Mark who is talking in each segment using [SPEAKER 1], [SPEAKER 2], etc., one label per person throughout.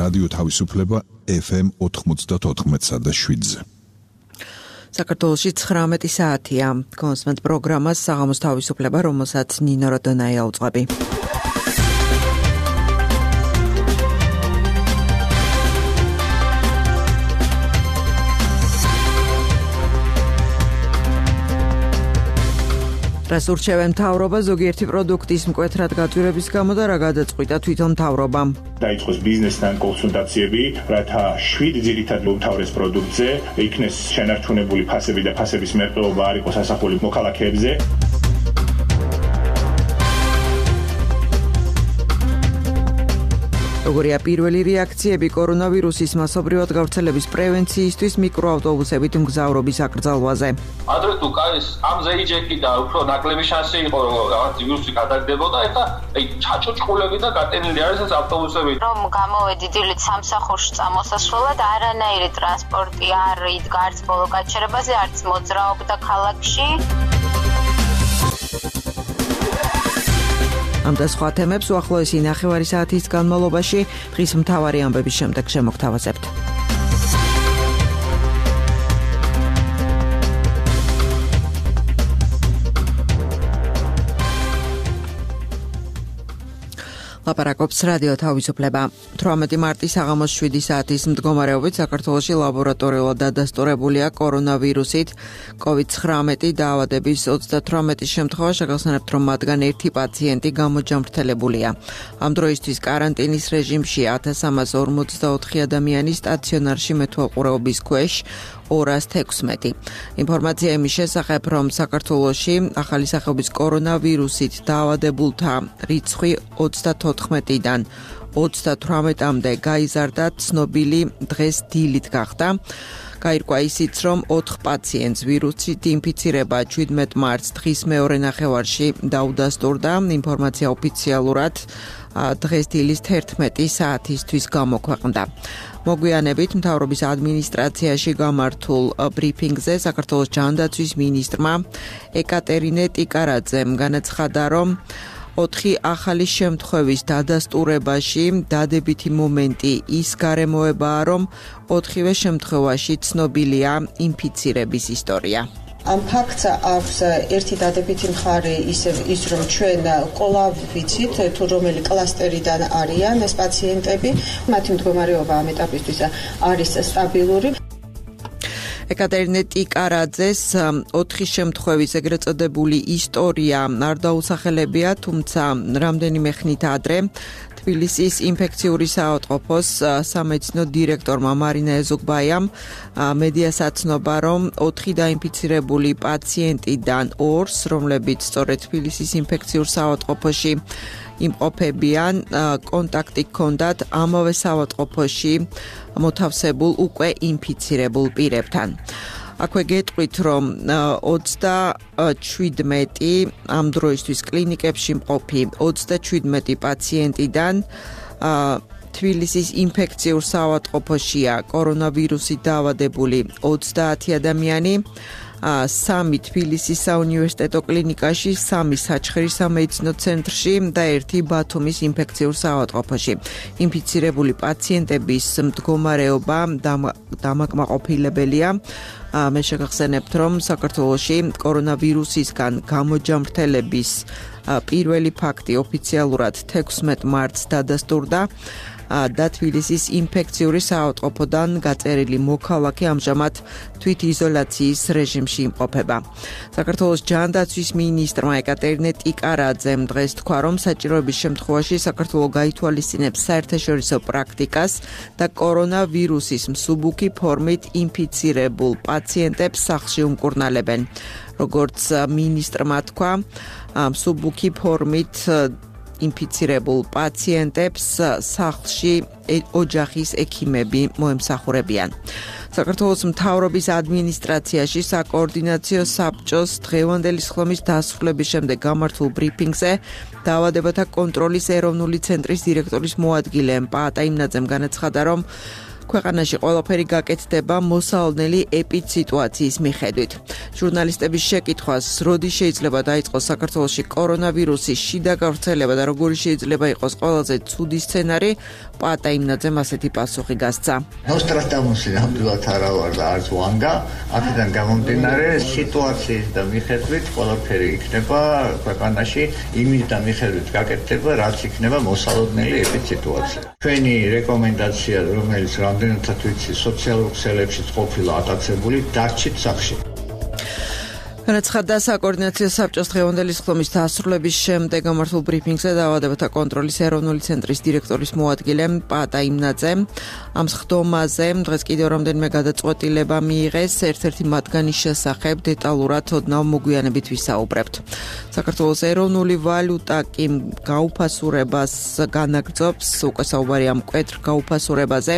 [SPEAKER 1] რადიო თავისუფლება FM 94.7-ზე.
[SPEAKER 2] საქართველოში 19 საათია. კონსმენტ პროგრამას საღამოს თავისუფლება, რომელსაც ნინო როდონაი აუწყები. რას ურჩევენ მთავრობა ზოგიერთი პროდუქტის მკვეთრად გაძვირების გამო და რა გადაწყვიტა თვითონ მთავრობამ.
[SPEAKER 3] დაიწყოს ბიზნესთან კონსულტაციები, რათა 7 ძირითად უმთავრეს პროდუქტზე იქნეს შენარჩუნებული ფასები და ფასების მერყეობა არ იყოს ასახული მოქალაქეებზე.
[SPEAKER 2] როგორია პირველი რეაქციები კორონავირუსის მასობრივად გავრცელების პრევენციისთვის მიკროავტობუსებით მგზავრობის აკრძალვაზე.
[SPEAKER 4] ადრე თუ კაის ამზე იჯეკი და უფრო ნაკლები შანსი იყო რომ რაღაც ვირუსი გადაგდებოდა, ეხლა ჩაჭუჭყულები და გატენილი არის ეს ავტობუსები.
[SPEAKER 5] რომ გამოვედი დილით სამსახურში წამოსასვლელად, არანაირი ტრანსპორტი არ იდგა არც ბოლო გაჩერებაზე, არც მოძრაობდა ქალაქში.
[SPEAKER 2] ამ და სხვა თემებს უახლოესი ნახევარი საათის განმავლობაში დღის მთავარი ამბების შემდეგ შემოგთავაზებთ. ლაპარაკობს რადიო თავისუფლება. 18 მარტის საღამოს 7 საათის მდგომარეობით საქართველოში ლაბორატორიულად დადასტურებულია კორონავირუსით COVID-19 დაავადების 38 შემთხვევა, შეგახსენებთ, რომ მათგან ერთი პაციენტი გამოჯამრთელებულია. ამ დროისთვის კარანტინის რეჟიმში 1344 ადამიანი სტაციონარში მეთვალყურეობის ქვეშ 216. ინფორმაცია იმის შესახებ, რომ საქართველოში ახალი სახეობის კორონავირუსით დაავადებულთა რიცხვი 34-დან 38-მდე გაიზარდა, ცნობილი დღეს დილით გახდა. გაირკვა ისიც, რომ 4 პაციენტს ვირუსით ინფიცირება 17 მარტს დღის მეორე ნახევარში დაუდასტურდა. ინფორმაცია ოფიციალურად დღეს დილის 11 საათისთვის გამოქვეყნდა. მოგვიანებით მთავრობის ადმინისტრაციაში გამართულ ბრიფინგზე საქართველოს ჯანდაცვის მინისტრმა ეკატერინე ტიკარაძემ განაცხადა, რომ 4 ახალი შემთხვევის დადასტურებაში დადებითი მომენტი ის გარემოებაა, რომ 4-ვე შემთხვევაში ცნობილია ინფიცირების ისტორია.
[SPEAKER 6] ამ ფაქტს აქვს ერთი დადებითი მხარე ის რომ ჩვენ კვლავ ვიცით თუ რომელი კლასტერიდან არიან ეს პაციენტები, მათი მდგომარეობა ამ ეტაპისთვის არის სტაბილური.
[SPEAKER 2] ეკატერინე ტიკარაძეს 4 შემთხვევის ეგრეთ წოდებული ისტორია არ დაუსახელებია, თუმცა რამდენიმე ხნით ადრე თბილისის ინფექციური საავადმყოფოს სამედიცინო დირექტორმა მარინა ეზოგბაიამ მედიას აცნობა, რომ 4 დაინფიცირებული პაციენტიდან 2-ს, რომლებიც სწორედ თბილისის ინფექციურ საავადმყოფოში იმყოფებიან, კონტაქტი ჰქონდათ ამავე საავადმყოფოში მოთავსებულ უკვე ინფიცირებულ პირებთან. აქვე გეტყვით, რომ 27 ამ დროისთვის კლინიკებში მყოფი 27 პაციენტიდან თბილისის ინფექციურ საავადმყოფოშია კორონავირუსით დაავადებული 30 ადამიანი, 3 თბილისის საუნივერსიტეტო კლინიკაში, 3 საჩხერის სამედიცინო ცენტრში და 1 ბათუმის ინფექციურ საავადმყოფოში. ინფიცირებული პაციენტების მდგომარეობა დამაკმაყოფილებელია. მე შეგახსენებთ, რომ საქართველოში კორონავირუსისგან გამოჯამრთელების პირველი ფაქტი ოფიციალურად 16 მარტს დადასტურდა და თბილისის ინფექციური საავადმყოფოდან გაწერილი მოქალაქე ამჟამად თვითიზოლაციის რეჟიმში იმყოფება. საქართველოს ჯანდაცვის მინისტრმა ეკატერინე ტიკარაძემ დღეს თქვა, რომ საჭიროების შემთხვევაში საქართველო გაითვალისწინებს საერთაშორისო პრაქტიკას და კორონავირუსის მსუბუქი ფორმით ინფიცირებულ პაციენტებს სახლში უმკურნალებენ. როგორც მინისტრმა თქვა, მსუბუქი ფორმით ინფიცირებულ პაციენტებს სახლში ოჯახის ექიმები მოემსახურებიან. საქართველოს მთავრობის ადმინისტრაციაში საკოორდინაციო საბჭოს დღევანდელი სხდომის დასრულების შემდეგ გამართულ ბრიფინგზე დაავადებათა კონტროლის ეროვნული ცენტრის დირექტორის მოადგილე პაატა იმნაძემ განაცხადა, რომ ქვეყანაში ყველაფერი გაკეთდება მოსალოდნელი ეპიდსიტუაციის მიხედვით. ჟურნალისტების შეკითხვას, როდი შეიძლება დაიწყოს საქართველოში კორონავირუსის შიდა გავრცელება და როგორი შეიძლება იყოს ყველაზე ცუდი სცენარი, პატა იმნაძემ ასეთი პასუხი გასცა.
[SPEAKER 7] ნოსტრადამუსი ნამდვილად არა ვარ და არც ვანგა, აქედან გამომდინარე სიტუაციის და მიხედვით ყველაფერი იქნება ქვეყანაში იმის და მიხედვით გაკეთდება, რაც იქნება მოსალოდნელი ეპიდსიტუაცია. ჩვენი რეკომენდაცია, რომელიც რამდენადაც ვიცი, სოციალურ ქსელებშიც ყოფილა ატაცებული, დარჩით სახლში.
[SPEAKER 2] განაცხადა საკოორდინაციო საბჭოს დღევანდელი სხდომის დასრულების შემდეგ გამართულ ბრიფინგზე დაავადებათა კონტროლის ეროვნული ცენტრის დირექტორის მოადგილე პატა იმნაძე. ამ სხდომაზე დღეს კიდევ რამდენიმე გადაწყვეტილება მიიღეს, ერთ-ერთი მათგანის შესახებ დეტალურად ოდნავ მოგვიანებით ვისაუბრებთ. საქართველოს ეროვნული ვალუტა კი გაუფასურებას განაგრძობს, უკვე საუბარი ამ მკვეთრ გაუფასურებაზე.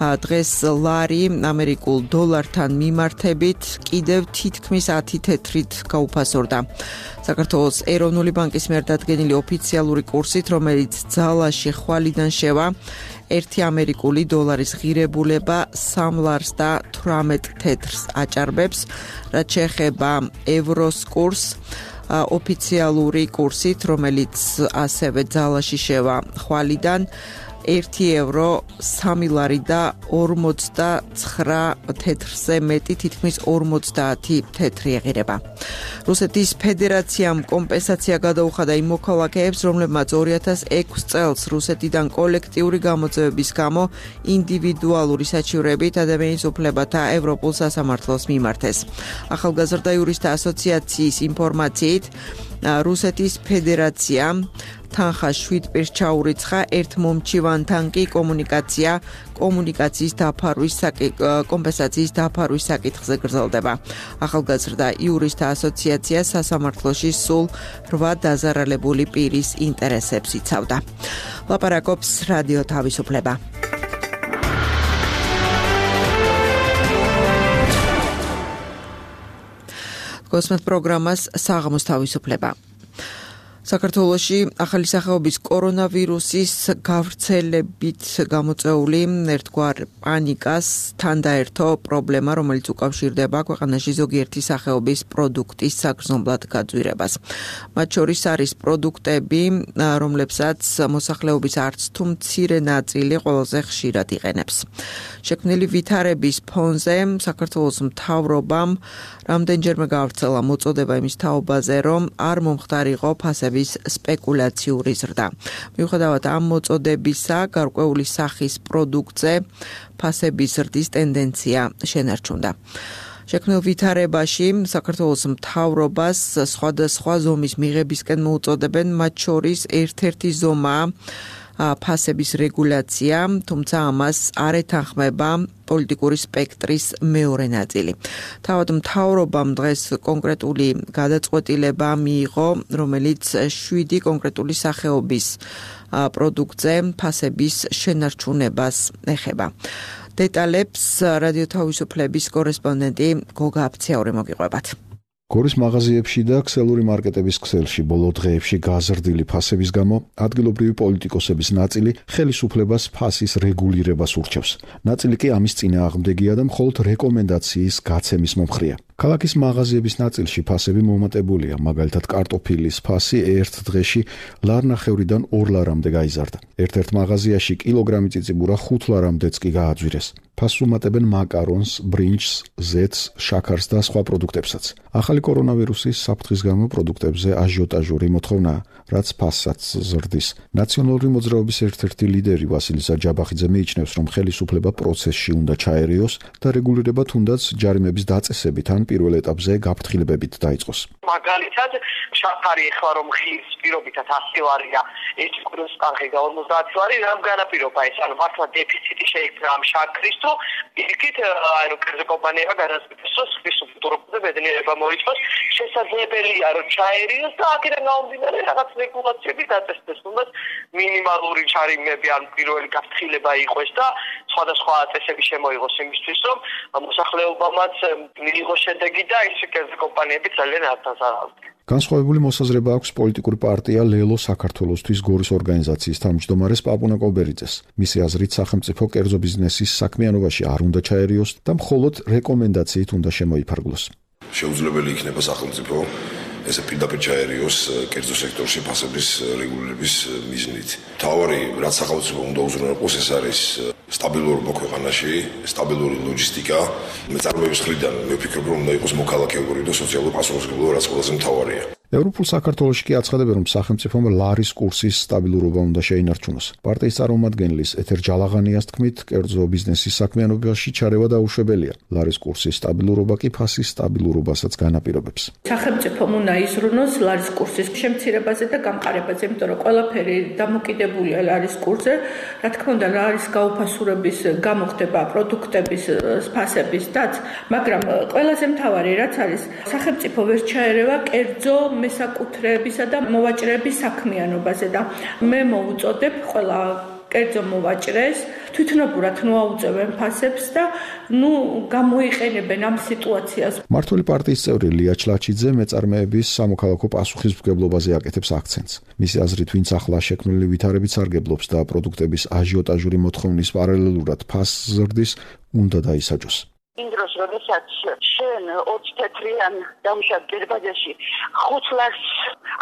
[SPEAKER 2] დღეს ლარი ამერიკულ დოლართან მიმართებით კიდევ თითქმის 10 თეთრით გაუფასურდა. საქართველოს ეროვნული ბანკის მიერ დადგენილი ოფიციალური კურსით, რომელიც ძალაში ხვალიდან შევა, 1 ამერიკული დოლარის ღირებულება 3 ლარს და 18 თეთრს აჭარბებს, რაც შეეხება ევროს კურსს, ოფიციალური კურსით, რომელიც ასევე ძალაში შევა ხვალიდან 1 ევრო 3 ლარი და 49 თეთრზე მეტი, თითქმის 50 თეთრი ეღირება. რუსეთის ფედერაციამ კომპენსაცია გადაუხადა იმ მოქალაქეებს, რომლებმაც 2006 წელს რუსეთიდან კოლექტიური გამოძევების გამო ინდივიდუალური საჩივრებით ადამიანის უფლებათა ევროპულ სასამართლოს მიმართეს. ახალგაზრდა იურისტთა ასოციაციის ინფორმაციით, რუსეთის ფედერაცია თანხა 7 პირს ჩაურიცხა, ერთ მომჩივანთან კი კომუნიკაციის დაფარვის კომპენსაციის დაფარვის საკითხზე გრძელდება. ახალგაზრდა იურისტთა ასოციაცია სასამართლოში სულ 8 დაზარალებული პირის ინტერესებს იცავდა. ლაპარაკობს რადიო თავისუფლება. გოსმეთ პროგრამას საღამოს თავისუფლება. საქართველოში ახალი სახეობის კორონავირუსის გავრცელებით გამოწვეული ერთგვარ პანიკას თან დაერთო პრობლემა, რომელიც უკავშირდება ქვეყანაში ზოგიერთი სახეობის პროდუქტის საგრძნობლად გაძვირებას. მათ შორის არის პროდუქტები, რომლებსაც მოსახლეობის არც თუ მცირე ნაწილი ყველაზე ხშირად იყენებს. შექმნილი ვითარების ფონზე საქართველოს მთავრობამ რამდენჯერმე გავრცელა მოწოდება იმის თაობაზე, რომ არ მომხდარიყო ფასების სპეკულაციური ზრდა. მიუხედავად ამ მოწოდებისა, გარკვეული სახის პროდუქტზე ფასების ზრდის ტენდენცია შენარჩუნდა. შექმნილ ვითარებაში საქართველოს მთავრობას სხვადასხვა ზომის მიღებისკენ მოუწოდებენ, მათ შორის ერთ-ერთი ზომაა ფასების რეგულაცია, თუმცა ამას არ ეთანხმება პოლიტიკური სპექტრის მეორე ნაწილი. თავად მთავრობამ დღეს კონკრეტული გადაწყვეტილება მიიღო, რომელიც 7 კონკრეტული სახეობის პროდუქტზე ფასების შენარჩუნებას ეხება. დეტალებს რადიო თავისუფლების კორესპონდენტი გოგა აფციური მოგიყვებათ.
[SPEAKER 1] გორის მაღაზიებში და ქსელური მარკეტების ქსელში ბოლო დღეებში გაზრდილი ფასების გამო ადგილობრივი პოლიტიკოსების ნაწილი ხელისუფლებას ფასის რეგულირებას ურჩევს. ნაწილი კი ამის წინააღმდეგია და მხოლოდ რეკომენდაციის გაცემის მომხრეა. ქალაქის მაღაზიების ნაწილში ფასები მომატებულია, მაგალითად კარტოფილის ფასი ერთ დღეში ლარნახევრიდან 2 ლარამდე გაიზარდა. ერთ-ერთ მაღაზიაში კილოგრამი წიწიბურა 5 ლარამდეც კი გააძვირეს. ფასს უმატებენ მაკარონს, ბრინჯს, ზეთს, შაქარს და სხვა პროდუქტებსაც. ახალი კორონავირუსის საფრთხის გამო პროდუქტებზე აჟიოტაჟური მოთხოვნაა, რაც ფასსაც ზრდის. ნაციონალური მოძრაობის ერთ-ერთი ლიდერი ვასილი საჯაბახიძე მიიჩნევს, რომ ხელისუფლება პროცესში უნდა ჩაერიოს და რეგულირება თუნდაც ჯარიმების დაწესებით ან პირველ ეტაპზე გაფრთხილებებით დაიწყოს.
[SPEAKER 8] მაგალითად, შაქარი ახლა რომ ხის პირობითად 100 ლარია, ეს კურსი თანხი 50 ლარი, რამ განაპირობა ეს, ანუ მართლა დეფიციტი შეიქმნა ამ შაქრის თუ იქით ანუ კერძო კომპანიებმა გადაწყვიტეს, რომ ხის უსტუმრობა ბედნიერება მოიწოს, შესაძლებელია რომ ჩაერიოს და აქედან გამომდინარე რაღაც რეგულაციები დაწესდეს, თუმცა მინიმალური ჩარიმები ან პირველი გაფრთხილება იყოს და სხვადასხვა წესები შემოიღოს იმისთვის, რომ მოსახლეობამაც მიიღოს შედეგი და ეს კერძო კომპანიები ძალიან არ დაზარალდნენ.
[SPEAKER 1] განსხვავებული მოსაზრება აქვს პოლიტიკური პარტია ლელო საქართველოსთვის გორის ორგანიზაციის თავმჯდომარეს პაპუნა კობერიძეს. მისი აზრით, სახელმწიფო კერძო ბიზნესის საქმიანობაში არ უნდა ჩაერიოს და მხოლოდ რეკომენდაციით უნდა შემოიფარგლოს.
[SPEAKER 9] შეუძლებელი იქნება სახელმწიფო ესე პირდაპირ ჩაერიოს კერძო სექტორში ფასების რეგულირების მიზნით. თავარი რაც სახელმწიფო უნდა უზრუნველყოს, ეს არის სტაბილურობა ქვეყანაში, სტაბილური ლოჯისტიკა. მეწარმეების მხრიდან მე ვფიქრობ, რომ უნდა იყოს მოქალაქეობრივი და სოციალური პასუხისმგებლობა, რაც ყველაზე მთავარია.
[SPEAKER 1] ევროპულ საქართველოში კი აცხადებენ, რომ სახელმწიფომ ლარის კურსის სტაბილურობა უნდა შეინარჩუნოს. პარტიის წარმომადგენლის ეთერ ჯალაღანიას თქმით, კერძო ბიზნესის საქმიანობაში ჩარევა დაუშვებელია. ლარის კურსის სტაბილურობა კი ფასის სტაბილურობასაც განაპირობებს.
[SPEAKER 10] სახელმწიფომ უნდა იზრუნოს ლარის კურსის შემცირებაზე და გამყარებაზე, იმიტომ რომ ყველაფერი დამოკიდებულია ლარის კურსზე. რა თქმა უნდა, ლარის გაუფასურების გამოხდება პროდუქტების ფასების დაც, მაგრამ ყველაზე მთავარი რაც არის, სახელმწიფო ვერ ჩაერევა კერძო მესაკუთრეებისა და მოვაჭრეების საქმიანობაზე და მე მოვუწოდებ ყველა კერძო მოვაჭრეს თვითნებურად მოაუწევენ ფასებს და გამოიყენებენ ამ სიტუაციას.
[SPEAKER 1] მართული პარტიის წევრი ლია ჩლაჩიძე მეწარმეების სამოქალაქო პასუხისმგებლობაზე აკეთებს აქცენტს. მისი აზრით, ვინც ახლა შექმნილი ვითარებით სარგებლობს და პროდუქტების აჟიოტაჟური მოთხოვნის პარალელურად ფასს ზრდის, უნდა დაისაჯოს.
[SPEAKER 11] იმ დროს, როდესაც შენ 20 თეთრიან დამუშავებულ გერბაზიაში 5 ლარს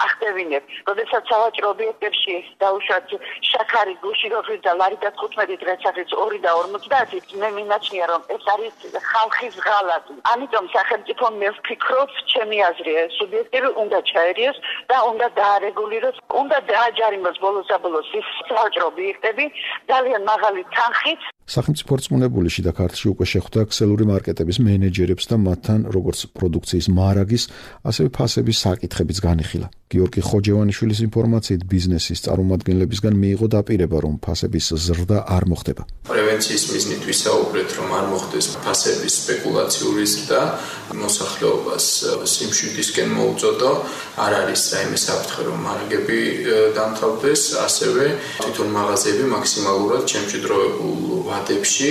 [SPEAKER 11] ახდევინებ, როდესაც სავაჭრო ობიექტებში დაუშვათ შაქარი, გუშინოფრი და ლარი და 15 დღეს არის 2 და 50, მე მინაჩნია, რომ ეს არის ხალხის ღალატი. ამიტომ სახელმწიფომ მე ვფიქრობ, ჩემი აზრია, სუბიექტივი უნდა ჩაერიოს და უნდა დაარეგულიროს, უნდა დააჯარიმოს ბოლოს-აბოლოს ის სავაჭრო ობიექტები ძალიან მაღალი თანხით.
[SPEAKER 1] სახელმწიფო რწმუნებული შიდა ქართლში უკვე შეხვდა ქსელური მარკეტების მენეჯერებს და მათთან როგორც პროდუქციის მარაგის, ასევე ფასების საკითხებიც განიხილა. გიორგი ხოჯევანიშვილის ინფორმაციით ბიზნესის წარმომადგენლებისგან მიიღო დაპირება, რომ ფასების ზრდა არ მოხდება.
[SPEAKER 12] პრევენციის მიზნით ვისაუბრეთ, რომ არ მოხდეს ფასების სპეკულაციური ზრდა, მოსახლეობას სიმშვიდისკენ მოუწოდო, არ არის რაიმე საფრთხე, რომ მარაგები დამთავრდეს, ასევე თვითონ მაღაზიები მაქსიმალურად შემჭიდროებულ ვადებში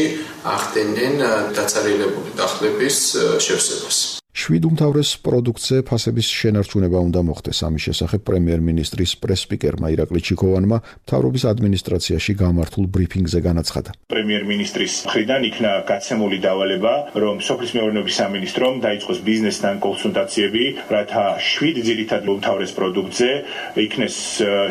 [SPEAKER 12] ახდენენ დაცარიელებული დახლების შევსებას.
[SPEAKER 1] 7 უმთავრეს პროდუქტზე ფასების შენარჩუნება უნდა მოხდეს. ამის შესახებ პრემიერ-მინისტრის პრეს-სპიკერმა ირაკლი ჩიქოვანმა მთავრობის ადმინისტრაციაში გამართულ ბრიფინგზე განაცხადა.
[SPEAKER 3] პრემიერ-მინისტრის მხრიდან იქნა გაცემული დავალება, რომ სოფლის მეურნეობის სამინისტრომ დაიწყოს ბიზნესთან კონსულტაციები, რათა 7 ძირითად უმთავრეს პროდუქტზე იქნეს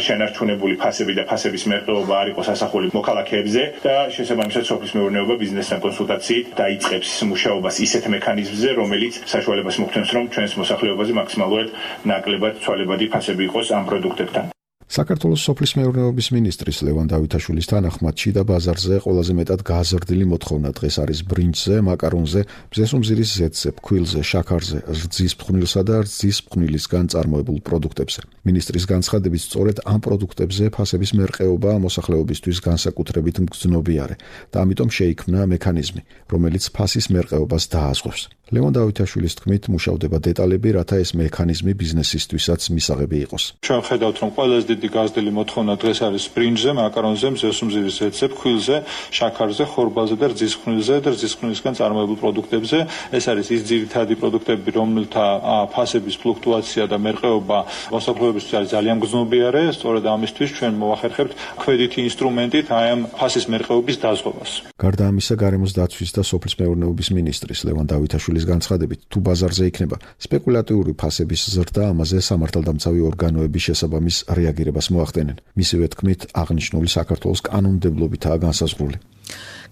[SPEAKER 3] შენარჩუნებული ფასები და ფასების მერყეობა არ იყოს ასახული მოქალაქეებზე და შესაბამისად სოფლის მეურნეობა ბიზნესთან კონსულტაციით დაიწყებს მუშაობას ისეთ მექანიზმზე, რომელიც საშუალებას მოგვცემს, რომ ჩვენს მოსახლეობაზე მაქსიმალურად ნაკლებად ცვალებადი ფასები იყოს ამ პროდუქტებთან.
[SPEAKER 1] საქართველოს სოფლის მეურნეობის მინისტრის ლევან დავითაშვილის თანახმად შიდა ბაზარზე ყველაზე მეტად გაზრდილი მოთხოვნა დღეს არის ბრინჯზე, მაკარონზე, მზესუმზირის ზეთზე, ფქვილზე, შაქარზე, რძის ფხვნილსა და რძის ფხვნილისგან წარმოებულ პროდუქტებზე. მინისტრის განცხადებით, სწორედ ამ პროდუქტებზე ფასების მერყეობა მოსახლეობისთვის განსაკუთრებით მგრძნობიარე და ამიტომ შეიქმნა მექანიზმი, რომელიც ფასის მერყეობას დააზღვევს. ლევან დავითაშვილის თქმით, მუშავდება დეტალები, რათა ეს მექანიზმი ბიზნესისთვისაც მისაღები იყოს.
[SPEAKER 13] ჩვენ ხედავთ, რომ ყველაზე დიდი გაზრდილი მოთხოვნა დღეს არის ბრინჯზე, მაკარონზე, მზესუმზირის ზეთზე, ფქვილზე, შაქარზე, ხორბალზე და რძის ფხვნილზე და რძის ფხვნილისგან წარმოებულ პროდუქტებზე. ეს არის ის ძირითადი პროდუქტები, რომელთა ფასების ფლუქტუაცია და მერყეობა მოსახლეობისთვის არის ძალიან მგრძნობიარე. სწორედ ამისთვის ჩვენ მოვახერხებთ ქვედითი ინსტრუმენტით აი ამ ფასის მერყეობის დაზღვევას.
[SPEAKER 1] გარდა ამისა, გარემოს დაცვის და სოფლის მეურნეობის მინისტრის ლევან დავითაშვილის განცხადებით, თუ ბაზარზე იქნება სპეკულატიური ფასების ზრდა, ამაზე სამართალდამცავი ორგანოების შესაბამის რეაგირებას მოახდენენ. მისივე თქმით, აღნიშნული საქართველოს კანონმდებლობითაა განსაზღვრული.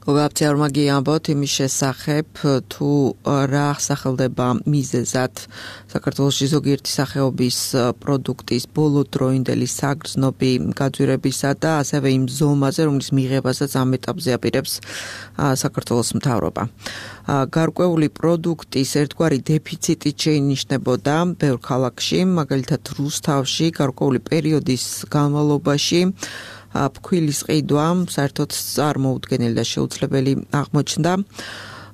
[SPEAKER 2] გოგაბცეორმა გიამბოთ იმის შესახებ, თუ რა სახელდება მიზეზად საქართველოში ზოგიერთი სახეობის პროდუქტის ბოლოდროინდელი საგრძნობი გაძვირებისა და ასევე იმ ზომაზე, რომლის მიღებასაც ამ ეტაპზე აპირებს საქართველოს მთავრობა. გარკვეული პროდუქტის ერთგვარი დეფიციტით შეინიშნებოდა ბევრ ქალაქში, მაგალითად რუსთავში გარკვეული პერიოდის განმავლობაში ფქვილის ყიდვა საერთოდ წარმოუდგენელი და შეუძლებელი აღმოჩნდა.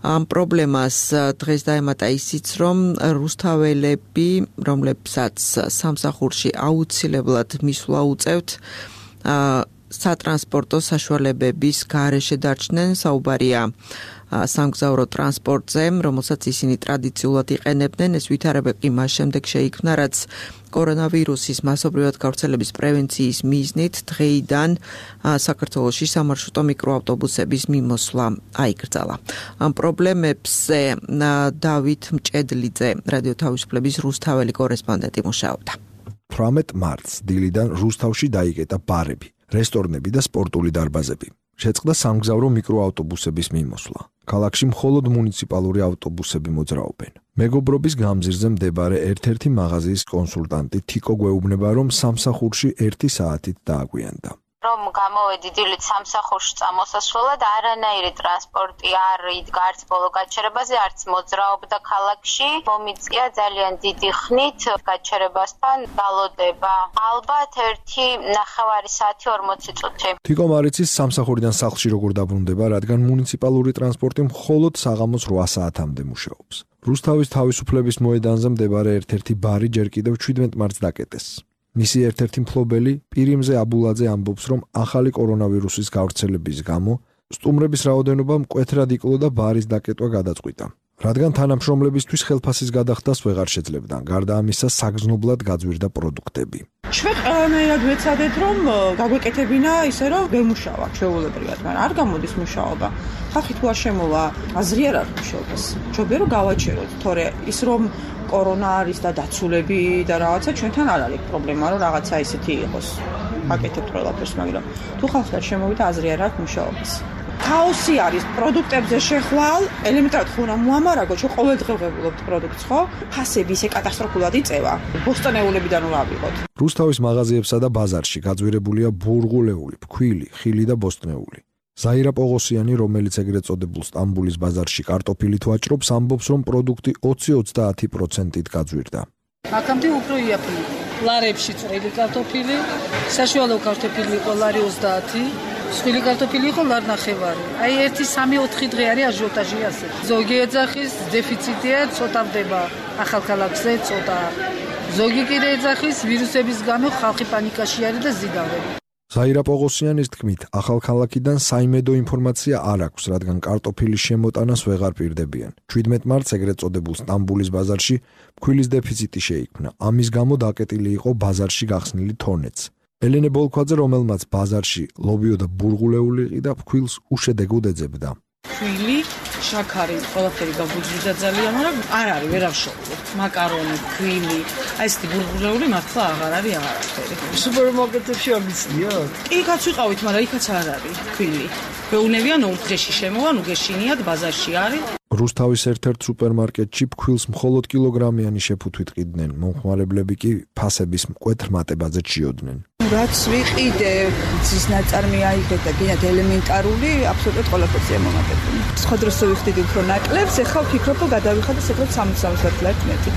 [SPEAKER 2] ამ პრობლემას დღეს დაემატა ისიც, რომ რუსთაველები, რომლებსაც სამსახურში აუცილებლად მისვლა უწევთ, სატრანსპორტო საშუალებების გარეშე დარჩნენ. საუბარია სამგზავრო ტრანსპორტზე, რომელსაც ისინი ტრადიციულად იყენებდნენ. ეს ვითარებები მას შემდეგ შეიქმნა, რაც კორონავირუსის მასობრივად გავრცელების პრევენციის მიზნით დღეიდან საქართველოში სამარშრუტო მიკროავტობუსების მიმოსვლა აიკრძალა. ამ პრობლემებზე დავით მჭედლიძე, რადიო თავისუფლების რუსთაველი კორესპონდენტი მუშაობდა.
[SPEAKER 14] 18 მარტს დილიდან რუსთავში დაიკეტა ბარები, რესტორნები და სპორტული დარბაზები. შეწყდა სამგზავრო მიკროავტობუსების მიმოსვლა. ქალაქში მხოლოდ მუნიციპალური ავტობუსები მოძრაობენ. მეგობრობის გამზირზე მდებარე ერთ-ერთი მაღაზიის კონსულტანტი თიკო გვეუბნება, რომ სამსახურში 1 საათით დააგვიანდა.
[SPEAKER 5] რომ გამოვედი დილით სამსახურში წამოსასვლელად, არანაირი ტრანსპორტი არ იდგა არც ბოლო გაჩერებაზე, არც მოძრაობდა ქალაქში. მომიწია ძალიან დიდი ხნით გაჩერებასთან დალოდება. ალბათ 1.5 საათი 40 წუთი.
[SPEAKER 14] თიკო მარიცის სამსახურიდან სახლში როგორ დაბრუნდება, რადგან მუნიციპალური ტრანსპორტი მხოლოდ საღამოს 8 საათამდე მუშაობს. რუსთავის თავისუფლების მოედანზე მდებარე ერთ-ერთი ბარი ჯერ კიდევ 17 მარტს დაკეტეს. მისი ერთ-ერთი მფლობელი პირიმზე აბულაძე ამბობს, რომ ახალი კორონავირუსის გავრცელების გამო სტუმრების რაოდენობა მკვეთრად იკლო და ბარის დაკეტვა გადაწყვიტა. რადგან თანამშრომლებისთვის ხელფასის გადახდას ვეღარ შეძლებდა, გარდა ამისა საგრძნობლად გაძვირდა პროდუქტები.
[SPEAKER 10] ჩვენ ყველანაირად ვეცადეთ, რომ გაგვეკეთებინა ისე, რომ ვერ მუშაობ შეუულებრივად, მაგრამ არ გამოდის მუშაობა. ხალხი თუ არ შემოვა, აზრი არ აქვს მუშაობას. ჯობია რომ გავაჩეროთ, თორე ის რომ კორონა არის და დაცულები და რაღაცა ჩვენთან არ არის პრობლემა, რომ რაღაცა ისეთი იყოს. აკეთებთ ყველაფერს, მაგრამ თუ ხალხი არ შემოვიდა, აზრი არ აქვს მუშაობას. ქაოსი არის პროდუქტებზე შეხვალ, ელემენტარად ხო რა მოამარაგო, ჩვენ ყოველდღე ვღებულობთ პროდუქტს, ხო? ფასები ისე კატასტროფულად იწევა. ბოსტონეულებიდან რა ავიღოთ.
[SPEAKER 14] რუსთავის მაღაზიებსა და ბაზარში გაძვირებულია ბურღულეული, ფქვილი, ხილი და ბოსტნეული. ზაირა პოღოსიანი, რომელიც ეგრეთ წოდებულ სტამბულის ბაზარში კარტოფილით ვაჭრობს, ამბობს, რომ პროდუქტი 20-30%-ით გაძვირდა.
[SPEAKER 15] აქამდე უფრო იაფია. ლარებში წვრილი კარტოფილი, საშუალო კარტოფილი იყო ლარი 30, სხვილი კარტოფილი იყო ლარ ნახევარი. აი 1-3-4 დღე არის აჟიოტაჟი ასე. ზოგი ეძახის დეფიციტია, ცოტა ვდება ახალქალაქზე, ცოტა. ზოგი კიდე ეძახის ვირუსების გამო ხალხი პანიკაში არის და ზიდავენ.
[SPEAKER 14] ზაირა პოღოსიანის თქმით, ახალქალაქიდან საიმედო ინფორმაცია არ აქვს, რადგან კარტოფილის შემოტანას ვეღარ პირდებიან. 17 მარტს ეგრეთ წოდებულ სტამბულის ბაზარში ფქვილის დეფიციტი შეიქმნა. ამის გამო დაკეტილი იყო ბაზარში გახსნილი თონეც. ელენე ბოლქვაძე, რომელმაც ბაზარში ლობიოდა ბურღულეული ყიდა, ფქვილს უშედეგოდ ეძებდა.
[SPEAKER 15] ფქვილი, შაქარი, ყველაფერი გაგუძვიდა ძალიან, მაგრამ არ არის, ვერ ავშოვოთ. მაკარონი, ფქვილი, აი ეს ბურღულეული მართლა აღარ არის აღარაფერი. სუპერმარკეტებში არ გიცნიათ? კი, კაც ვიყავით, მაგრამ იქაც არ არის ფქვილი. მეუნებიან ორდრეში შემოვა, ნუ გეშინიათ, ბაზარში არის.
[SPEAKER 14] რუსთავის ერთ-ერთ სუპერმარკეტში ფქვილს მხოლოდ კილოგრამიანი შეფუთვით ყიდნენ, მომხმარებლები კი ფასების მკვეთრ მატებაზე ჩიოდნენ.
[SPEAKER 16] რაც ვიყიდე, ძის ნაწარმი აიღეთ და გინათ ელემენტარული, აბსოლუტურად ყველაფერზე მომატებული. სხვა დროს ვიხდიდი უფრო ნაკლებს, ეხლა ვფიქრობ, რომ გადავიხადე საკუთარ 60 ლარს მეტი.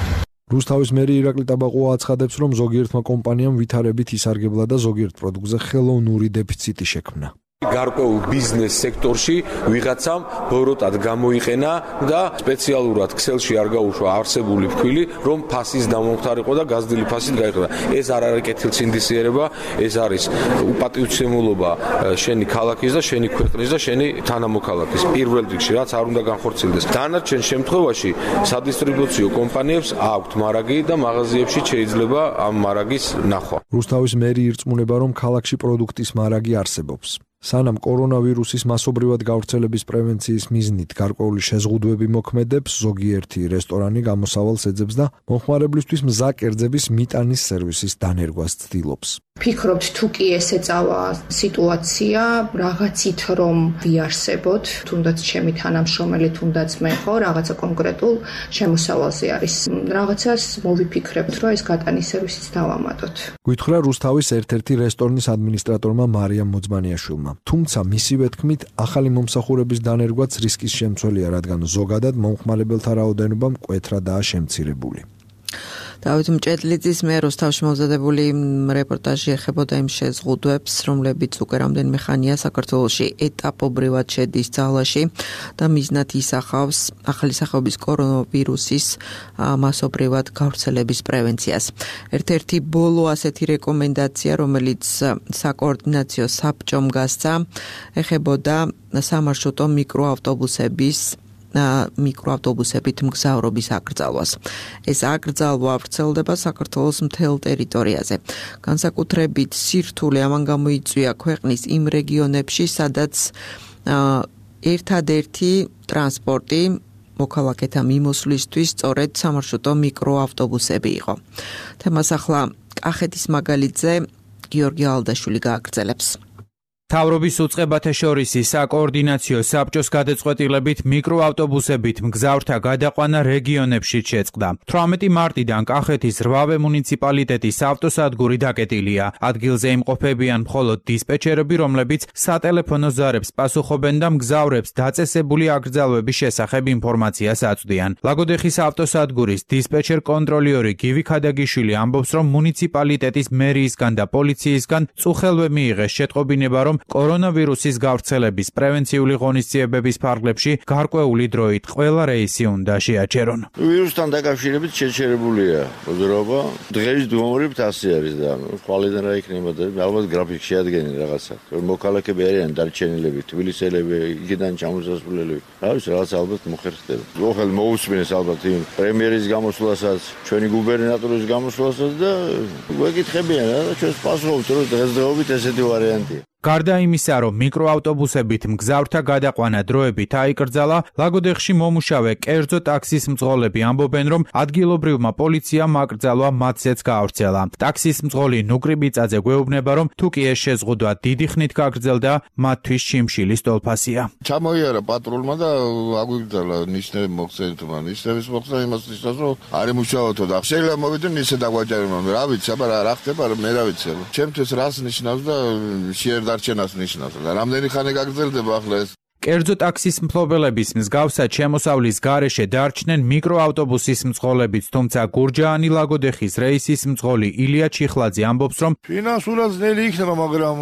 [SPEAKER 14] რუსთავის მერი ირაკლი ტაბაყუა აცხადებს, რომ ზოგიერთმა კომპანიამ ვითარებით ისარგებლა და ზოგიერთ პროდუქტზე ხელოვნური დეფიციტი შექმნა.
[SPEAKER 17] გარკვეულ ბიზნეს სექტორში ვიღაცამ ბოროტად გამოიყენა და სპეციალურად ქსელში არ გაუშვა არსებული ფქვილი, რომ ფასის დამომხდარიყო და გაზრდილი ფასით გაიყიდა. ეს არ არის კეთილსინდისიერება, ეს არის უპატივცემულობა შენი ქალაქის და შენი ქვეყნის და შენი თანამოქალაქის. პირველ რიგში რაც არ უნდა განხორციელდეს. დანარჩენ შემთხვევაში სადისტრიბუციო კომპანიებს აქვთ მარაგი და მაღაზიებში შეიძლება ამ მარაგის ნახვა.
[SPEAKER 14] რუსთავის მერი ირწმუნება, რომ ქალაქში პროდუქტის მარაგი არსებობს. სანამ კორონავირუსის მასობრივად გავრცელების პრევენციის მიზნით გარკვეული შეზღუდვები მოქმედებს, ზოგიერთი რესტორანი გამოსავალს ეძებს და მომხმარებლისთვის მზა კერძების მიტანის სერვისის დანერგვას ცდილობს.
[SPEAKER 18] ფიქრობთ, თუ კი ესეწავა სიტუაცია, რაღაცით რომ ვიარსებოთ, თუნდაც ჩემი თანამშრომელი, თუნდაც მე ხო, რაღაცა კონკრეტულ შემოსავალზე არის. რაღაცას მოვიფიქრებთ, რომ ეს გატანის სერვისიც დავამატოთ.
[SPEAKER 14] გვითხრა რუსთავის ერთ-ერთი რესტორნის ადმინისტრატორმა მარიამ მოძმანიაშვილმა. თუმცა მისივე თქმით, ახალი მომსახურების დანერგვაც რისკის შემცველია, რადგან ზოგადად მომხმარებელთა რაოდენობა მკვეთრადაა შემცირებული.
[SPEAKER 2] დავით მჭედლიძის მე რუსთავში მომზადებული რეპორტაჟი ეხებოდა იმ შეზღუდვებს, რომლებიც უკვე რამდენიმე ხანია საქართველოში ეტაპობრივად შედის ძალაში და მიზნად ისახავს ახალი სახეობის კორონავირუსის მასობრივად გავრცელების პრევენციას. ერთ-ერთი ბოლო ასეთი რეკომენდაცია, რომელიც საკოორდინაციო საბჭომ გასცა, ეხებოდა სამარშრუტო მიკროავტობუსებით მგზავრობის აკრძალვას. ეს აკრძალვა ვრცელდება საქართველოს მთელ ტერიტორიაზე. განსაკუთრებით სირთულე ამან გამოიწვია ქვეყნის იმ რეგიონებში, სადაც ერთადერთი ტრანსპორტი მოქალაქეთა მიმოსვლისთვის სწორედ სამარშრუტო მიკროავტობუსები იყო. თემას ახლა კახეთის მაგალითზე გიორგი ალდაშვილი გააგრძელებს.
[SPEAKER 19] მთავრობის უწყებათა შორის საკოორდინაციო საბჭოს გადაწყვეტილებით მიკროავტობუსებით მგზავრთა გადაყვანა რეგიონებში შეწყდა. 18 მარტიდან კახეთის 8 მუნიციპალიტეტის ავტოსადგური დაკეტილია. ადგილზე იმყოფებიან მხოლოდ დისპეჩერები, რომლებიც სატელეფონო ზარებს პასუხობენ და მგზავრებს დაწესებული აკრძალვების შესახებ ინფორმაციას აწვდიან. ლაგოდეხის ავტოსადგურის დისპეჩერ კონტროლიორი გივი ქადაგიშვილი ამბობს, რომ მუნიციპალიტეტის მერიისგან და პოლიციისგან წუხელვე მიიღეს შეტყობინება, რომ კორონავირუსის გავრცელების პრევენციული ღონისძიებების ფარგლებში გარკვეული დროით ყველა რეისი უნდა შეაჩერონ.
[SPEAKER 20] ვირუსთან დაკავშირებით შეჩერებულია მოძრაობა. დღეს დუმორებთ ასე არის და ხვალიდან რა იქნება და ალბათ გრაფიკი შეადგენენ რაღაცა. მოქალაქეები არიან დარჩენილები, თბილისელები, იქიდან ჩამოსასვლელები. რა ვიცი, რაღაც ალბათ მოხერხდება. ოღელ მოусმინეს ალბათ იმ პრემიერის გამოსვლასაც, ჩვენი გუბერნატორის გამოსვლასაც და ვეკითხებიან რა და ჩვენს პასუხობთ, რომ დღესდღეობით ესეთი ვარიანტია.
[SPEAKER 19] გარდა იმისა, რომ მიკროავტობუსებით მგზავრთა გადაყვანა დროებით აიკრძალა, ლაგოდეხში მომუშავე კერძო ტაქსის მძღოლები ამბობენ, რომ ადგილობრივმა პოლიციამ აკრძალვა მათზეც გაავრცელა. ტაქსის მძღოლი ნუკრი ბიწაძე გვეუბნება, რომ თუ კი ეს შეზღუდვა დიდი ხნით გაგრძელდა, მათთვის შიმშილის ტოლფასია.
[SPEAKER 21] ჩამოიარა პატრულმა და აგვიგრძალა ნიშნები მოხსენებმა. ნიშნების მოხსნა იმას ნიშნავს, რომ არ იმუშავოთო და შეიძლება მოვიდნენ ისე დაგვაჯერებდნენ. რა ვიცი, აბა რა ხდება, მე რა ვიცი. ჩემთვის რას ნიშნავს და შეერდარჩენას ნიშნავს და რამდენი ხანი გაგრძელდება ახლა ეს.
[SPEAKER 19] კერძო ტაქსის მფლობელების მსგავსად შემოსავლის გარეშე დარჩნენ მიკროავტობუსის მძღოლებიც, თუმცა გურჯაანი ლაგოდეხის რეისის მძღოლი ილია ჩიხლაძე ამბობს, რომ
[SPEAKER 21] ფინანსურად ძნელი იქნება, მაგრამ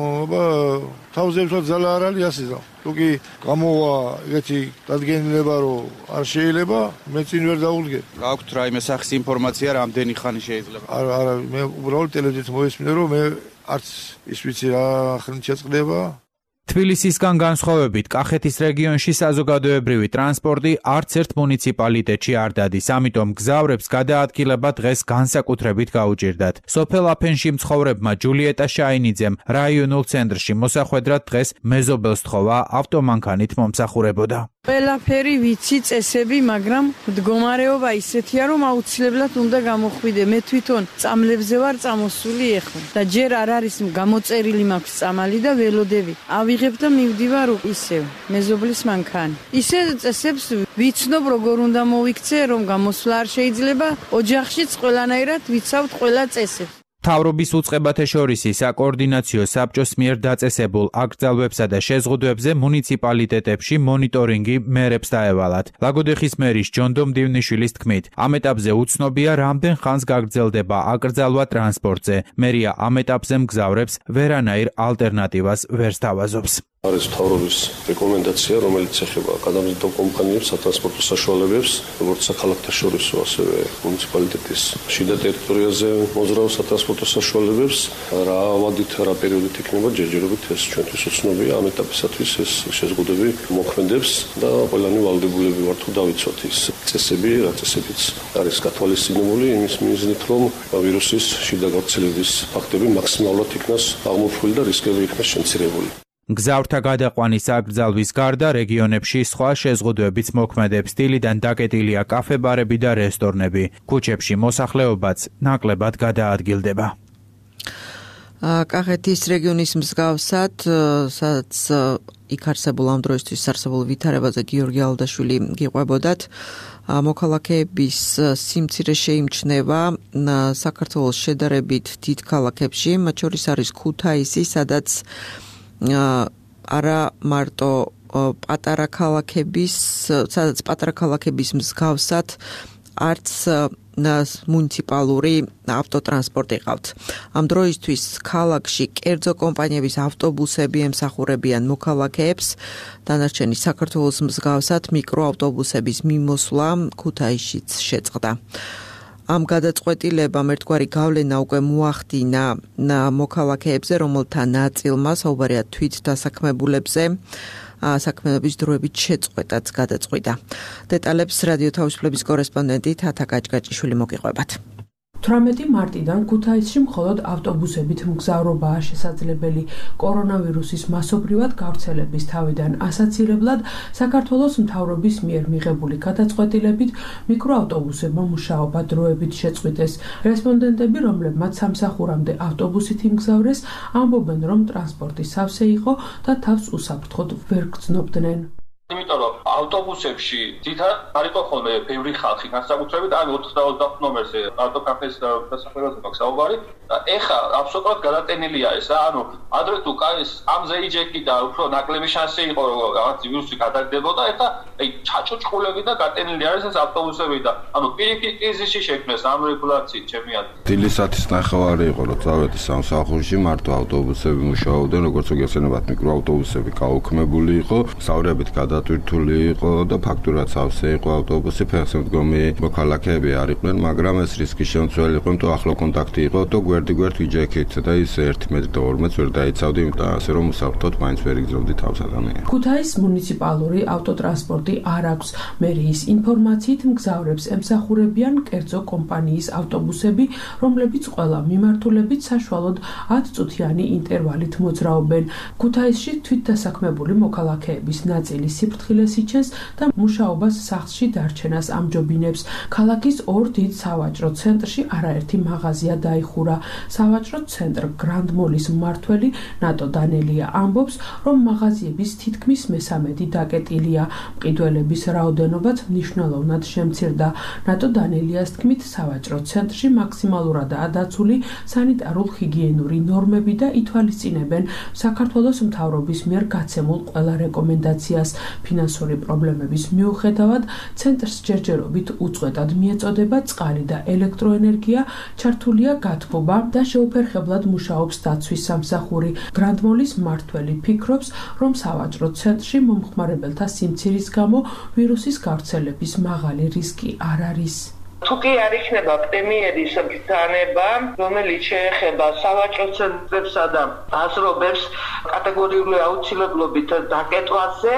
[SPEAKER 21] თავზე ვთქვათ ძალა არ არის ასე. თუკი გამოვა ეგეთი დადგენილება, რომ არ შეიძლება, მე წინ ვერ დავუდგე.
[SPEAKER 22] გაქვთ რაიმე სახის ინფორმაცია, რამდენი ხანი შეიძლება?
[SPEAKER 21] არა, მე უბრალოდ ტელევიზიით მოვისმინე, რომ მე არც ის ვიცი რა ხნით შეწყდება.
[SPEAKER 19] თბილისისგან განსხვავებით, კახეთის რეგიონში საზოგადოებრივი ტრანსპორტი არც ერთ მუნიციპალიტეტში არ დადის, ამიტომ მგზავრებს გადაადგილება დღეს განსაკუთრებით გაუჭირდათ. სოფელ აფენში მცხოვრებმა ჯულიეტა შაინიძემ რაიონულ ცენტრში მოსახვედრად დღეს მეზობელს თხოვა ავტომანქანით მომსახურებოდა.
[SPEAKER 23] ყველაფერი ვიცი, წესები, მაგრამ მდგომარეობა ისეთია, რომ აუცილებლად უნდა გამოხვიდე. მე თვითონ წამლებზე ვარ წამოსული ეხლა და ჯერ არ არის გამოწერილი მაქვს წამალი და ველოდები. ავიღებ და მივდივარ ისევ მეზობლის მანქანი. ისე წესებს ვიცნობ, როგორ უნდა მოვიქცე, რომ გამოსვლა არ შეიძლება. ოჯახშიც ყველანაირად ვიცავთ ყველა წესებს.
[SPEAKER 19] მთავრობის უწყებათა შორის საკოორდინაციო საბჭოს მიერ დაწესებულ აკრძალვებსა და შეზღუდვებზე მუნიციპალიტეტებში მონიტორინგი მერებს დაევალათ. ლაგოდეხის მერის ჯონდო მდივნიშვილის თქმით, ამ ეტაპზე უცნობია, რამდენ ხანს გაგრძელდება აკრძალვა ტრანსპორტზე. მერია ამ ეტაპზე მგზავრებს ვერანაირ ალტერნატივას ვერ სთავაზობს.
[SPEAKER 9] არის მთავრობის რეკომენდაცია, რომელიც ეხება გადამზიდავ კომპანიებს, სატრანსპორტო საშუალებებს, როგორც საქალაქთა შორისო, ასევე მუნიციპალიტეტის შიდა ტერიტორიაზე მოძრაულ სატრანსპორტო საშუალებებს. რა ავადით, რა პერიოდით იქნება ჯერჯერობით ეს ჩვენთვის უცნობია. ამ ეტაპისათვის ეს შეზღუდვები მოქმედებს და ყველანი ვალდებულები ვართ თუ დავიცვათ ის წესები, რა წესებიც არის გათვალისწინებული იმის მიზნით, რომ ვირუსის შიდა გავრცელების ფაქტები მაქსიმალურად იქნას აღმოფხვრილი და რისკები იქნას შემცირებული.
[SPEAKER 19] მგზავრთა გადაყვანის აკრძალვის გარდა რეგიონებში სხვა შეზღუდვებიც მოქმედებს. დილიდან დაკეტილია კაფე-ბარები და რესტორნები. ქუჩებში მოსახლეობაც ნაკლებად გადაადგილდება.
[SPEAKER 2] კახეთის რეგიონის მსგავსად, სადაც იქ არსებულ ამ დროისთვის არსებულ ვითარებაზე გიორგი ალდაშვილი გიყვებოდათ. მოქალაქეების სიმცირე შეიმჩნევა საქართველოს შედარებით დიდ ქალაქებში, მათ შორის არის ქუთაისი, სადაც არა მარტო პატარა ქალაქების მსგავსად არც მუნიციპალური ავტოტრანსპორტი ყავთ. ამ დროისთვის ქალაქში კერძო კომპანიების ავტობუსები ემსახურებიან მოქალაქეებს, დანარჩენი საქართველოს მსგავსად მიკროავტობუსების მიმოსვლა ქუთაისშიც შეწყდა. ამ გადაწყვეტილებამ ერთგვარი გავლენა უკვე მოახდინა მოქალაქეებზე, რომელთა ნაწილმა საუბარია თვით დასაქმებულებზე საქმიანობის დროებით შეწყვეტაც გადაწყვიტა. დეტალებს რადიო თავისუფლების კორესპონდენტი თათა გაჭგაჭიშვილი მოგიყვებათ.
[SPEAKER 4] 18 მარტიდან ქუთაისში მხოლოდ ავტობუსებით მგზავრობაა შესაძლებელი. კორონავირუსის მასობრივად გავრცელების თავიდან ასაცილებლად საქართველოს მთავრობის მიერ მიღებული გადაწყვეტილებით მიკროავტობუსებმა მუშაობა დროებით შეწყვიტეს. რესპონდენტები, რომლებმაც სამსახურამდე ავტობუსით იმგზავრეს, ამბობენ, რომ ტრანსპორტი სავსე იყო და თავს უსაფრთხოდ ვერ გრძნობდნენ.
[SPEAKER 6] იმიტომ რომ ავტობუსებში თითქოს არ იყო ხოლმე ბევრი ხალხი, განსაკუთრებით ამ 420 ნომერზე ავტოკაფეს დასახლებაზე მაქვს საუბარი და ეხა აბსოლუტურად გადატენილია ეს, ანუ ადრე თუ კაის ამზე იჯეკი და უფრო ნაკლები შანსი იყო რომ რაღაც ვირუსი გადაგდებოდა, ეხა ჩაჭუჭყულები და გატენილი არის ეს ავტობუსები და ანუ პირიქით კრიზისი შექმნეს ამ რეგულაციით ჩემი აზრით.
[SPEAKER 7] დილისათის ნახევარი იყო რომ წავედი სამსახურში, მარტო ავტობუსები მუშაობდნენ, როგორც უგეხსენებათ მიკროავტობუსები გაუქმებული იყო, საუბრებით გადატვირთული იყო და ფაქტურად სავსე იყო ავტობუსი, ფეხსამდგომი მოქალაქეები არ იყვნენ, მაგრამ ეს რისკი შემცველი იყო, თუ ახლო კონტაქტი იყო და გვერდ ვიჯექით და ის 1 მეტრი და 2 მეტრს ვერ დაიცავდი, იმიტომ ასე რომ უსაფრთხოდ მაინც ვერ იგზავდი თავს ადამიანს.
[SPEAKER 4] ქუთაისის მუნიციპალური ავტოტრანსპორტი არ აქვს. მერიის ინფორმაციით მგზავრებს ემსახურებიან კერძო კომპანიის ავტობუსები, რომლებიც ყველა მიმართულებით საშუალოდ 10 წუთიანი ინტერვალით მოძრაობენ. ქუთაისში თვითდასაქმებული მოქალაქეების ნაწილი სიფრთხილეს იჩენს და მუშაობას სახლში დარჩენას ამჯობინებს. ქალაქის 2 დიდ სავაჭრო ცენტრში არაერთი მაღაზია დაიხურა. სავაჭრო ცენტრ გრანდ მოლის მმართველი ნატო დანელია ამბობს, რომ მაღაზიების თითქმის მესამედი დაკეტილია. მყიდველების რაოდენობაც მნიშვნელოვნად შემცირდა. ნატო დანელიას თქმით, სავაჭრო ცენტრში მაქსიმალურადაა დაცული სანიტარულ-ჰიგიენური ნორმები და ითვალისწინებენ საქართველოს მთავრობის მიერ გაცემულ ყველა რეკომენდაციას. ფინანსური პრობლემების მიუხედავად, ცენტრს ჯერჯერობით უწყვეტად მიეწოდება წყალი და ელექტროენერგია, ჩართულია გათბობა და შეუფერხებლად მუშაობს დაცვის სამსახური. გრანდმოლის მმართველი ფიქრობს, რომ სავაჭრო ცენტრში მომხმარებელთა სიმცირის გამო ვირუსის გავრცელების მაღალი რისკი არ არის.
[SPEAKER 8] თუ კი არ იქნება პრემიერის ბრძანება, რომელიც შეეხება სავაჭრო ცენტრებსა და აზრობებს კატეგორიული აუცილებლობით დაკეტვაზე,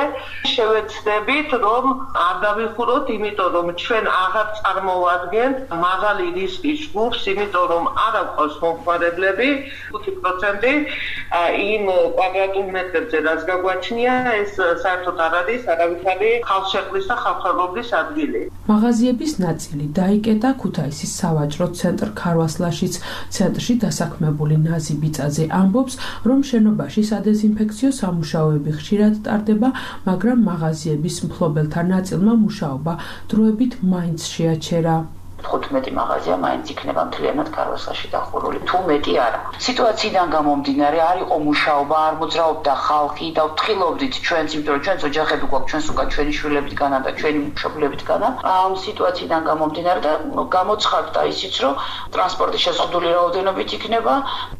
[SPEAKER 8] შევეცდებით, რომ არ დავიხუროთ, იმიტომ რომ ჩვენ აღარ წარმოვადგენთ მაღალი რისკის ჯგუფს, იმიტომ რომ არ აქვს მომხმარებლები 5% იმ კვადრატულ მეტრებზე, რაც გაგვაჩნია, ეს საერთოდ არ არის არავითარი ხალხშეყრის და ხალხმრავლობის ადგილი.
[SPEAKER 4] მაღაზიების ნაწილი დაიკეტა ქუთაისის სავაჭრო ცენტრ ქარვასლაშიც. ცენტრში დასაქმებული ნაზი ბიწაძე ამბობს, რომ შენობაში სადეზინფექციო სამუშაოები ხშირად ტარდება, მაგრამ მაღაზიების მფლობელთა ნაწილმა მუშაობა დროებით მაინც შეაჩერა.
[SPEAKER 24] 15 მაღაზია მაინც იქნება მთლიანად ქარვასლაში დახურული. თუ მეტი არა. სიტუაციიდან გამომდინარე არ იყო მუშაობა, არ მოძრაობდა ხალხი და ვთხილობდით ჩვენც, იმიტომ რომ ჩვენც ოჯახები გვაქვს, ჩვენს უკან ჩვენი შვილებითგანა და ჩვენი მშობლებითგანა. ამ სიტუაციიდან გამომდინარე და გამოცხადდა ისიც, რომ ტრანსპორტი შეზღუდული რაოდენობით იქნება.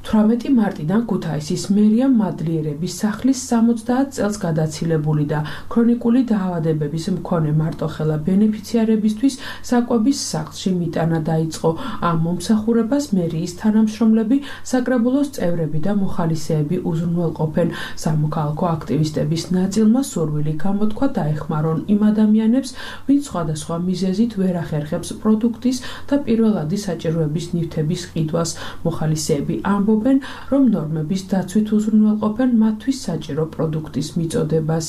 [SPEAKER 4] 18 მარტიდან ქუთაისის მერიამ მადლიერების სახლის 70 წელს გადაცილებული და ქრონიკული დაავადებების მქონე მარტოხელა ბენეფიციარებისთვის საკვების სახლში მიტანა დაიწყო. ამ მომსახურებას მერიის თანამშრომლები, საკრებულოს წევრები და მოხალისეები უზრუნველყოფენ. სამოქალაქო აქტივისტების ნაწილმა სურვილი გამოთქვა დაეხმარონ იმ ადამიანებს, ვინც სხვადასხვა მიზეზით ვერ ახერხებს პროდუქტის და პირველადი საჭიროების ნივთების ყიდვას. მოხალისეები ამბობენ, რომ ნორმების დაცვით უზრუნველყოფენ მათთვის საჭირო პროდუქტის მიწოდებას.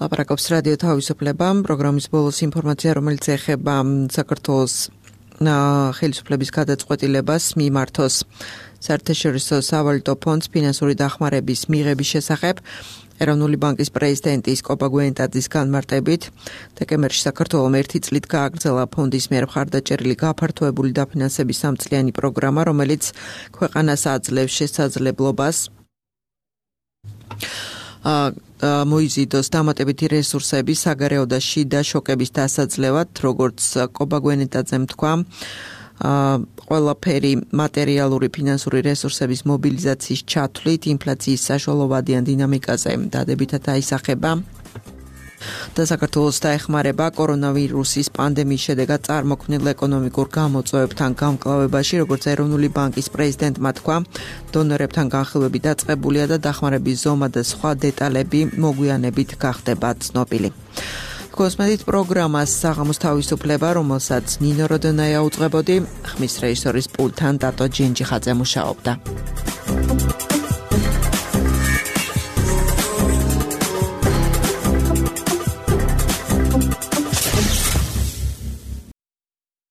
[SPEAKER 2] ლაპარაკობს რადიო თავისუფლება, პროგრამის ბოლოს ინფორმაცია, რომელიც ეხება საქართველოს ხელისუფლების გადაწყვეტილებას მიმართოს საერთაშორისო სავალუტო ფონდს ფინანსური დახმარების მიღების შესახებ. ეროვნული ბანკის პრეზიდენტის კოპა გვიენტაძის განმარტებით, დეკემბერში საქართველომ 1 წლით გააგრძელა ფონდის მიერ მხარდაჭერილი გაფართოებული დაფინანსების 3 წლიანი პროგრამა, რომელიც ქვეყანას აძლევს შესაძლებლობას მოიზიდოს დამატებითი რესურსები საგარეო და შიდა შოკების დასაძლევად, როგორც კობა გვენეტაძემ თქვა. ყველაფერი მატერიალური ფინანსური რესურსების მობილიზაციის ჩათვლით ინფლაციის საშუალებიან დინამიკაზე დადებითად აისახება და საქართველოს დაეხმარება კორონავირუსის პანდემიის შედეგად წარმოქმნილ ეკონომიკურ გამოწვევებთან გამკლავებაში, როგორც ეროვნული ბანკის პრეზიდენტმა თქვა, დონორებთან განხილვები დაწყებულია და დახმარების ზომა და სხვა დეტალები მოგვიანებით გახდება ცნობილი. Kosmetit პროგრამას საღამოს თავისუფლება, რომელსაც ნინო როდონაია უძღვებოდი, ხმის რეჟისორის პულტთან დატო ჯინჯიხაძე მუშაობდა.